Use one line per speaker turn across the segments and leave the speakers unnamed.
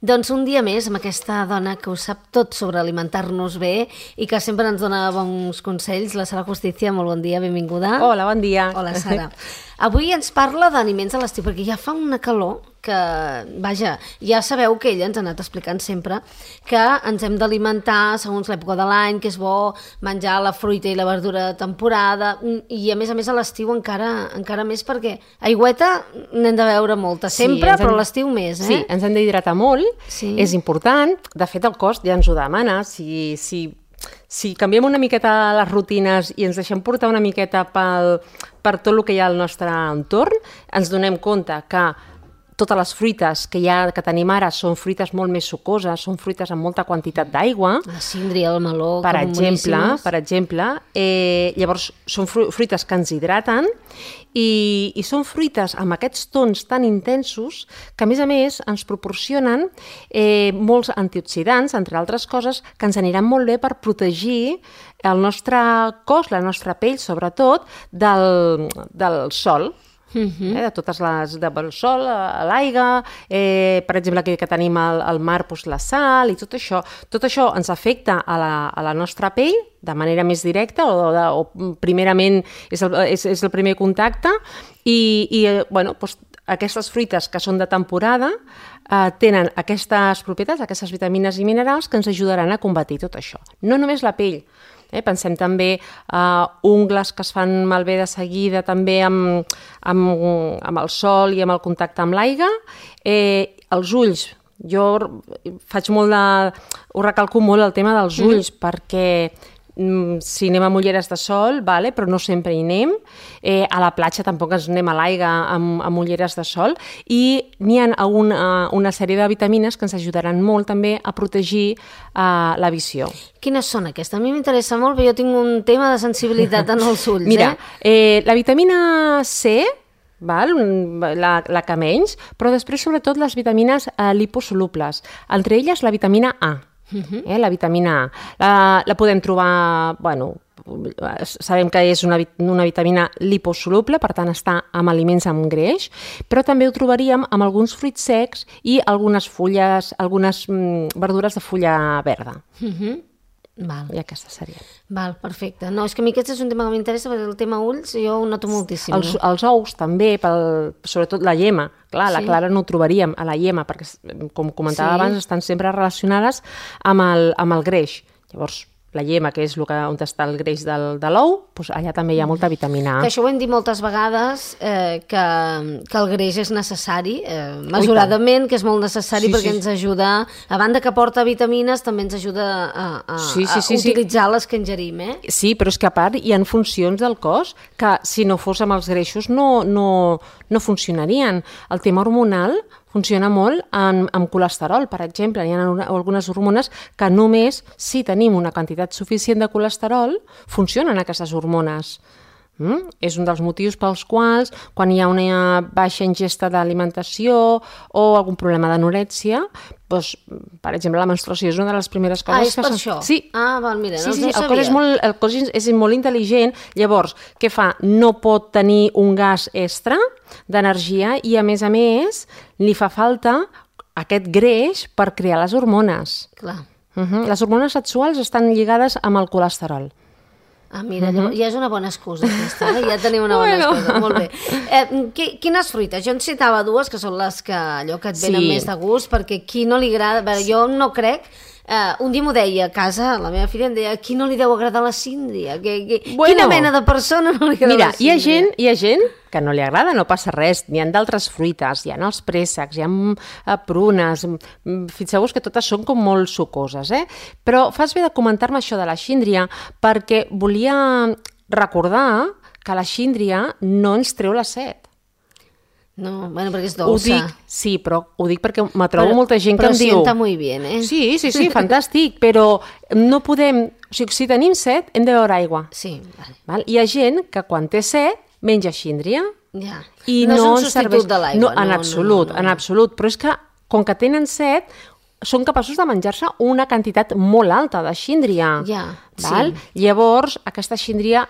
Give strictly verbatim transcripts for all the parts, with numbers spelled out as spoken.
Doncs un dia més amb aquesta dona que ho sap tot sobre alimentar-nos bé i que sempre ens dona bons consells, la Sara Justicia. Molt bon dia, benvinguda.
Hola, bon dia.
Hola, Sara. Avui ens parla d'aliments a l'estiu, perquè ja fa una calor que, vaja, ja sabeu que ella ens ha anat explicant sempre que ens hem d'alimentar segons l'època de l'any, que és bo menjar la fruita i la verdura de temporada, i a més a més a l'estiu encara, encara més, perquè aigüeta n'hem de beure molta, sempre, sí, però a l'estiu més, eh?
Sí, ens hem d'hidratar molt, sí. És important, de fet el cos ja ens ho demana, si... si... Si canviem una miqueta les rutines i ens deixem portar una miqueta pel, per tot el que hi ha al nostre entorn, ens donem compte que totes les fruites que, hi ha, que tenim ara són fruites molt més sucoses, són fruites amb molta quantitat d'aigua.
La síndria, el meló,
per exemple, per exemple. Eh, llavors, són fruites que ens hidraten i, i són fruites amb aquests tons tan intensos que, a més a més, ens proporcionen eh, molts antioxidants, entre altres coses, que ens aniran molt bé per protegir el nostre cos, la nostra pell, sobretot, del, del sol. Uh-huh. eh, de totes les del sol, l'aigua, eh, per exemple aquí que tenim al, al mar, doncs la sal i tot això, tot això ens afecta a la, a la nostra pell de manera més directa o, de, o primerament és el, és, és el primer contacte i, i bueno, doncs, aquestes fruites que són de temporada eh, tenen aquestes propietats, aquestes vitamines i minerals que ens ajudaran a combatir tot això. No només la pell, Eh, pensem també uh, ungles que es fan malbé de seguida també amb, amb, amb el sol i amb el contacte amb l'aigua. Eh, els ulls, jo faig molt de... ho recalco molt el tema dels ulls mm. perquè mm, si anem amb ulleres de sol, vale, però no sempre hi anem. Eh, a la platja tampoc ens anem a l'aigua amb, amb ulleres de sol i n'hi ha una, una sèrie de vitamines que ens ajudaran molt també a protegir uh, la visió.
Quines són aquestes? A mi m'interessa molt, perquè jo tinc un tema de sensibilitat en els ulls.
Mira,
eh?
eh, la vitamina C, val? La, la que menys, però després sobretot les vitamines eh, liposolubles, entre elles la vitamina A. Uh-huh. eh, la vitamina A. La, la podem trobar, bueno, sabem que és una, una vitamina liposoluble, per tant està amb aliments amb greix, però també ho trobaríem amb alguns fruits secs i algunes fulles, algunes mm, verdures de fulla verda.
Uh-huh. Val.
I aquesta seria.
Val, perfecte. No, és que a mi aquest és un tema que m'interessa, perquè el tema ulls jo ho noto moltíssim.
Els, els ous també, pel, sobretot la llema. Clar, sí. La clara no ho trobaríem a la llema, perquè, com comentava sí. abans, estan sempre relacionades amb el, amb el greix. Llavors, la llema, que és el que, on està el greix del, de l'ou, doncs allà també hi ha molta vitamina A.
Que això ho hem dit moltes vegades, eh, que, que el greix és necessari, eh, mesuradament, que és molt necessari sí, perquè sí. ens ajuda, a banda que porta vitamines, també ens ajuda a, a,
sí, sí, sí,
a utilitzar sí. les que ingerim. Eh?
Sí, però és que a part hi ha funcions del cos que si no fos amb els greixos no, no, no funcionarien. El tema hormonal funciona molt amb, amb colesterol, per exemple. Hi ha algunes hormones que només si tenim una quantitat suficient de colesterol funcionen aquestes hormones. Mm? És un dels motius pels quals quan hi ha una baixa ingesta d'alimentació o algun problema d'anorèxia, doncs, per exemple, la menstruació és una de les primeres coses...
Ah, és
que
per
se...
això?
Sí.
Ah, val, mira,
sí,
no,
sí,
no
el
sabia.
cos és molt, el cos és molt intel·ligent, llavors, què fa? No pot tenir un gas extra d'energia i, a més a més, li fa falta aquest greix per crear les hormones.
Clar.
Uh-huh. Les hormones sexuals estan lligades amb el colesterol.
Ah, mira, uh-huh. ja és una bona excusa aquesta, eh? Ja tenim una bona bueno. excusa, molt bé. Eh, quines fruites? Jo en citava dues, que són les que, allò que et venen sí. més de gust, perquè qui no li agrada... Veure, jo no crec... Uh, un dia m'ho deia a casa, la meva filla em deia, a qui no li deu agradar la síndria? Que, que, bueno, quina mena de persona no li agrada
mira,
la síndria?
Mira, hi ha gent, hi ha gent que no li agrada, no passa res, n'hi ha d'altres fruites, hi ha els préssecs, hi ha uh, prunes, fixeu-vos que totes són com molt sucoses, eh? Però fas bé de comentar-me això de la síndria perquè volia recordar que la síndria no ens treu la set.
No, bueno, perquè és dolça.
Ho dic, sí, però ho dic perquè me trobo
però,
molta gent que em diu...
Però sienta molt bé, eh?
Sí, sí, sí, fantàstic, però no podem... O sigui, si tenim set, hem de beure aigua.
Sí, vale.
Val? Hi ha gent que quan té set, menja síndria.
Ja.
I
no,
no
és un substitut serveix... de l'aigua.
No, en no, absolut, no, no, no. en absolut. Però és que, com que tenen set, són capaços de menjar-se una quantitat molt alta de síndria.
Ja,
val?
sí.
Llavors, aquesta síndria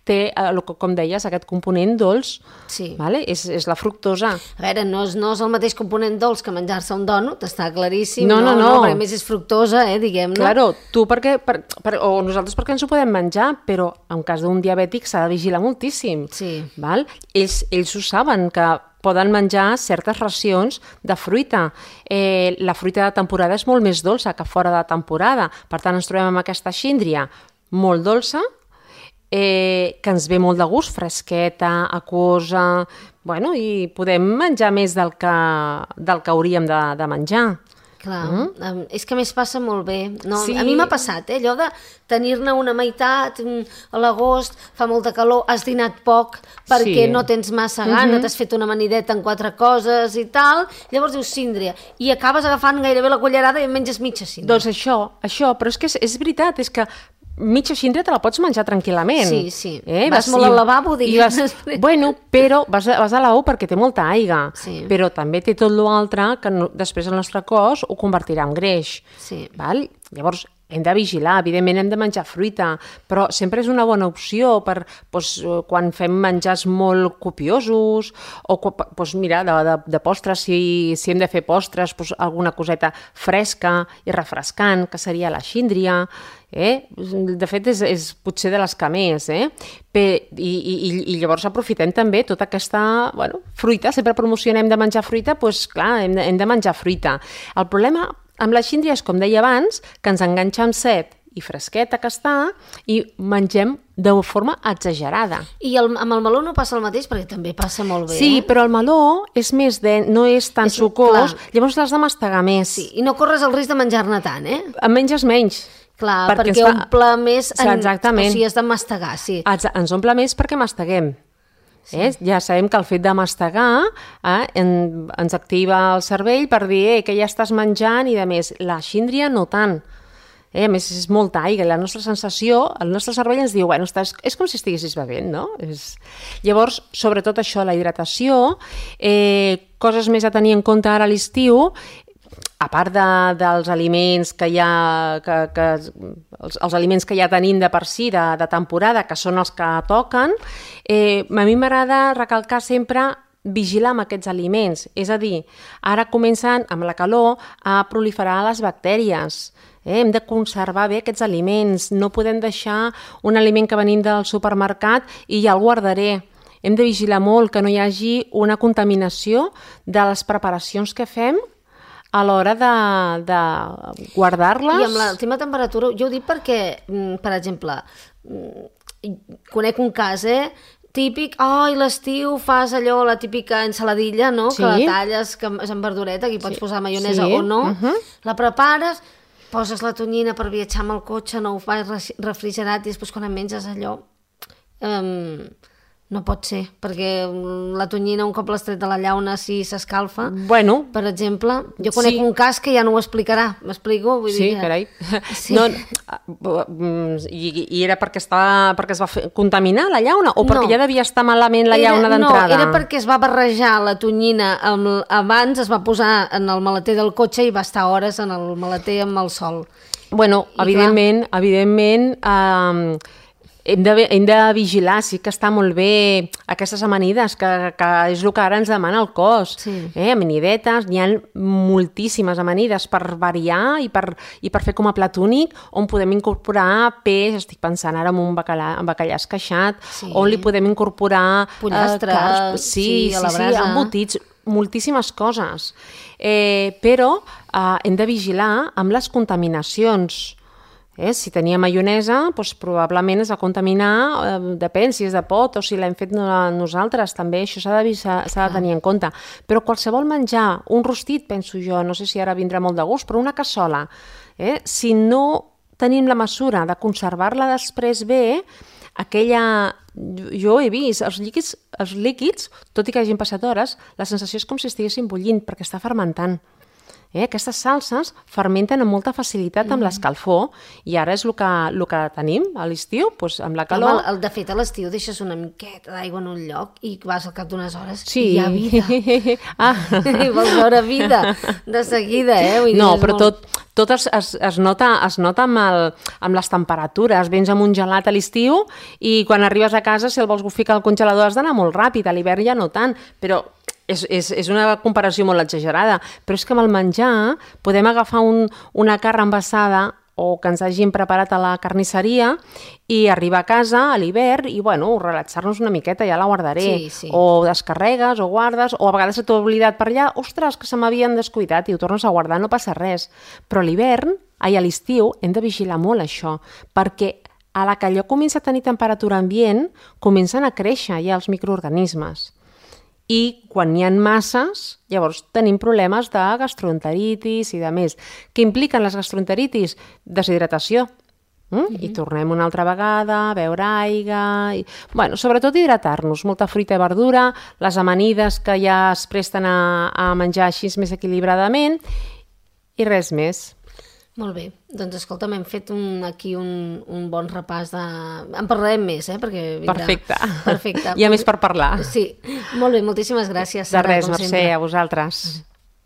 té, com deies, aquest component dolç.
Sí.
Vale? És, és la fructosa.
A veure, no és, no és el mateix component dolç que menjar-se un dònut, està claríssim.
No, no, no.
no perquè a més és fructosa, eh, diguem-ne.
Claro, tu perquè, per, per, o nosaltres perquè ens ho podem menjar, però en cas d'un diabètic s'ha de vigilar moltíssim.
Sí.
Val? Ells, ells ho saben, que poden menjar certes racions de fruita. Eh, la fruita de temporada és molt més dolça que fora de temporada. Per tant, ens trobem amb aquesta síndria molt dolça, eh, que ens ve molt de gust, fresqueta, aquosa, bueno, i podem menjar més del que, del que hauríem de, de menjar.
Clar, mm? és que a més passa molt bé. No,
sí.
A mi m'ha passat, eh, allò de tenir-ne una meitat, a l'agost fa molta calor, has dinat poc perquè sí. no tens massa gana, uh-huh. t'has fet una amanideta en quatre coses i tal, llavors dius síndria, i acabes agafant gairebé la cullerada i en menges mitja síndria.
Doncs això, això, però és que és, és veritat, és que mitja síndria te la pots menjar tranquil·lament.
Sí, sí.
Eh?
Vas, vas molt al lavabo, digues.
Vas, bueno, però vas a, vas a la U perquè té molta aigua,
sí.
però també té tot l'altre que no, després el nostre cos ho convertirà en greix.
Sí.
Val? Llavors, hem de vigilar, evidentment hem de menjar fruita, però sempre és una bona opció per doncs, quan fem menjars molt copiosos, o doncs, mira, de, de, de postres, si, si hem de fer postres, doncs, alguna coseta fresca i refrescant, que seria la síndria. Eh? De fet, és, és potser de les que més. Eh? Pe, i, i, I llavors aprofitem també tota aquesta bueno, fruita, sempre promocionem de menjar fruita, doncs clar, hem de, hem de menjar fruita. El problema amb la síndria és, com deia abans, que ens enganxa amb set i fresqueta que està i mengem de forma exagerada.
I el, amb el meló no passa el mateix, perquè també passa molt bé.
Sí,
eh?
però el meló és més de, no és tan és, sucós, clar. Llavors l'has de mastegar més.
Sí, i no corres el risc de menjar-ne tant, eh?
En menges menys.
Clar, perquè, perquè omple més... En,
exactament.
O sigui, has de mastegar, sí.
Ens omple més perquè masteguem. Sí. Eh? Ja sabem que el fet de mastegar eh, en, ens activa el cervell per dir eh, que ja estàs menjant i de més. La síndria no tant. Eh? A més, és molta aigua. La nostra sensació, el nostre cervell ens diu, bueno, estàs, és com si estiguessis bevent, no? És... Llavors, sobretot això, la hidratació, eh, coses més a tenir en compte ara a l'estiu, a part de, dels aliments que hi ha, que, que, els, els aliments que ja tenim de per si, de, de temporada, que són els que toquen, eh, a mi m'agrada recalcar sempre vigilar amb aquests aliments. És a dir, ara comencen amb la calor a proliferar les bactèries. Eh? Hem de conservar bé aquests aliments. No podem deixar un aliment que venim del supermercat i ja el guardaré. Hem de vigilar molt que no hi hagi una contaminació de les preparacions que fem a l'hora de, de guardar-les.
I amb la tema temperatura, jo ho dic perquè, per exemple, conec un cas, eh? Típic, ai, oh, l'estiu fas allò, la típica ensaladilla, no? Sí. Que la talles, que és en verdureta, que hi pots sí. posar maionesa sí. o no. Uh-huh. La prepares, poses la tonyina per viatjar amb el cotxe, no ho fas refrigerat i després quan en menges allò... Um, no pot ser, perquè la tonyina un cop l'has tret de la llauna si s'escalfa,
bueno,
per exemple. Jo conec sí. un cas que ja no ho explicarà, m'explico? Vull
sí,
dir,
carai. Sí. No, i, I era perquè, estava, perquè es va fer, contaminar la llauna o perquè no. ja devia estar malament la
era,
llauna d'entrada?
No, era perquè es va barrejar la tonyina amb, abans, es va posar en el maleter del cotxe i va estar hores en el maleter amb el sol.
Bueno, I evidentment, clar, evidentment... Eh, Hem de, hem de vigilar, sí que està molt bé aquestes amanides, que, que és el que ara ens demana el cos.
Sí.
Eh? Amanidetes, n'hi ha moltíssimes amanides per variar i per, i per fer com a plat únic, on podem incorporar peix, estic pensant ara en un bacallà, en bacallà esqueixat, sí. on li podem incorporar...
pollastre,
eh, cars, sí,
sí, a la brasa.
Sí, embotits, moltíssimes coses. Eh, però eh, hem de vigilar amb les contaminacions. Eh? Si tenia maionesa, doncs probablement es va contaminar, eh, depèn si és de pot o si l'hem fet nosaltres, també això s'ha de, s'ha de tenir en compte. Però qualsevol menjar, un rostit, penso jo, no sé si ara vindrà molt de gust, però una cassola, eh? Si no tenim la mesura de conservar-la després bé, aquella... Jo he vist, els líquids, els líquids, tot i que hagin passat hores, la sensació és com si estiguessin bullint, perquè està fermentant. Eh? Aquestes salses fermenten amb molta facilitat amb mm. l'escalfor i ara és el que, el que tenim a l'estiu, doncs amb la calor.
Home, el, de fet, a l'estiu deixes una miqueta d'aigua en un lloc i vas al cap d'unes hores
sí.
i hi ha vida.
Ah.
I vols veure vida de seguida, eh? Vull dir,
no, però
molt...
tot, tot es, es, es nota, es nota amb, el, amb les temperatures. Vens amb un gelat a l'estiu i quan arribes a casa, si el vols ficar al congelador has d'anar molt ràpid, a l'hivern ja no tant, però és, és, és una comparació molt exagerada. Però és que amb el menjar podem agafar un, una carn envasada o que ens hagin preparat a la carnisseria i arribar a casa a l'hivern i, bueno, relaxar-nos una miqueta, ja la guardaré.
Sí, sí.
O descarregues o guardes, o a vegades se t'ha oblidat per allà, ostres, que se m'havien descuidat i ho tornes a guardar, no passa res. Però a l'hivern, ai, a l'estiu, hem de vigilar molt això, perquè a la que allò comença a tenir temperatura ambient, comencen a créixer ja els microorganismes. I quan n'hi ha masses, llavors tenim problemes de gastroenteritis i de més. Què impliquen les gastroenteritis? Deshidratació. Mm? Mm-hmm. I tornem una altra vegada a beure aigua... I... Bueno, sobretot hidratar-nos, molta fruita i verdura, les amanides que ja es presten a, a menjar així més equilibradament i res més.
Molt bé, doncs escolta'm, hem fet un, aquí un, un bon repàs de... En parlarem més, eh? Perquè vindrà...
Perfecte.
Perfecte.
Hi ha més per parlar.
Sí, molt bé, moltíssimes gràcies,
De
Sara,
res,
com
Mercè,
sempre.
a vosaltres.